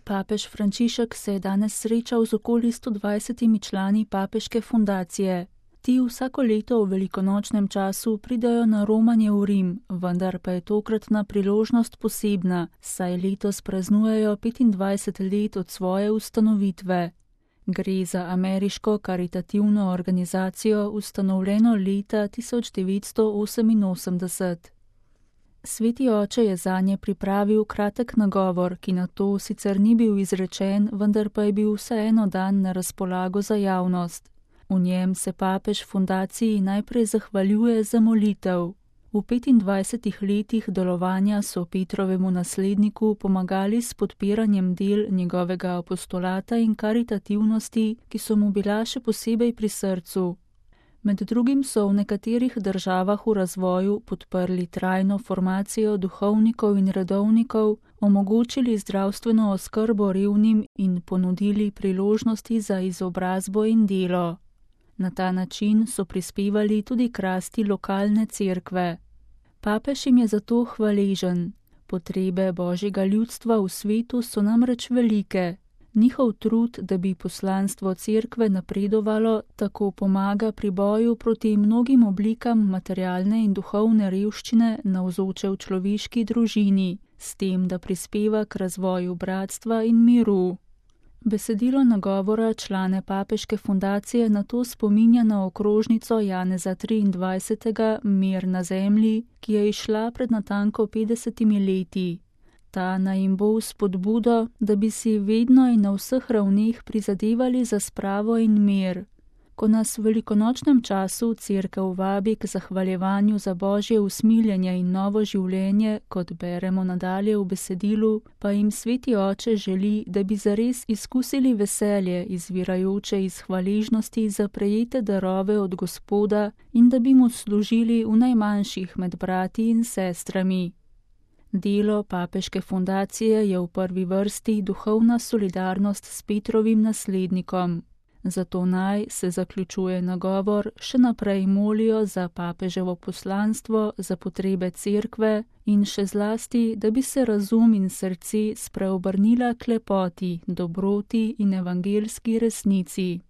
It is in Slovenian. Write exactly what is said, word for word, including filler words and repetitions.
Papež Frančišek se je danes srečal z okoli sto dvajsetimi člani papeške fundacije. Ti vsako leto v velikonočnem času pridajo na romanje v Rim, vendar pa je tokratna priložnost posebna, saj letos praznujejo petindvajset let od svoje ustanovitve. Gre za ameriško karitativno organizacijo, ustanovljeno leta tisoč devetsto oseminosemdeset. Sveti oče je zanje pripravil kratek nagovor, ki na to sicer ni bil izrečen, vendar pa je bil vseeno dan na razpolago za javnost. V njem se papež fundaciji najprej zahvaljuje za molitev. V petindvajsetih letih delovanja so Petrovemu nasledniku pomagali s podpiranjem del njegovega apostolata in karitativnosti, ki so mu bila še posebej pri srcu. Med drugim so v nekaterih državah v razvoju podprli trajno formacijo duhovnikov in redovnikov, omogočili zdravstveno oskrbo revnim in ponudili priložnosti za izobrazbo in delo. Na ta način so prispevali tudi k rasti lokalne cerkve. Papež jim je zato hvaležen. Potrebe božjega ljudstva v svetu so namreč velike. Njihov trud, da bi poslanstvo cerkve napredovalo, tako pomaga pri boju proti mnogim oblikam materialne in duhovne revščine navzoče v človeški družini, s tem, da prispeva k razvoju bratstva in miru. Besedilo nagovora člane papeške fundacije nato spominja na okrožnico Janeza triindvajsetega Mir na zemlji, ki je izšla pred natanko petdesetimi leti. Ta naj jim bo spodbudo, da bi si vedno in na vseh ravneh prizadevali za spravo in mir. Ko nas v velikonočnem času cerkev vabi k zahvaljevanju za božje usmiljenje in novo življenje, kot beremo nadalje v besedilu, pa jim sveti oče želi, da bi zares izkusili veselje, izvirajoče iz hvaležnosti za prejete darove od Gospoda in da bi mu služili v najmanjših med brati in sestrami. Delo papeške fundacije je v prvi vrsti duhovna solidarnost s Petrovim naslednikom. Zato naj, se zaključuje nagovor, še naprej molijo za papeževo poslanstvo, za potrebe cerkve in še zlasti, da bi se razum in srce spreobrnila k lepoti, dobroti in evangelski resnici.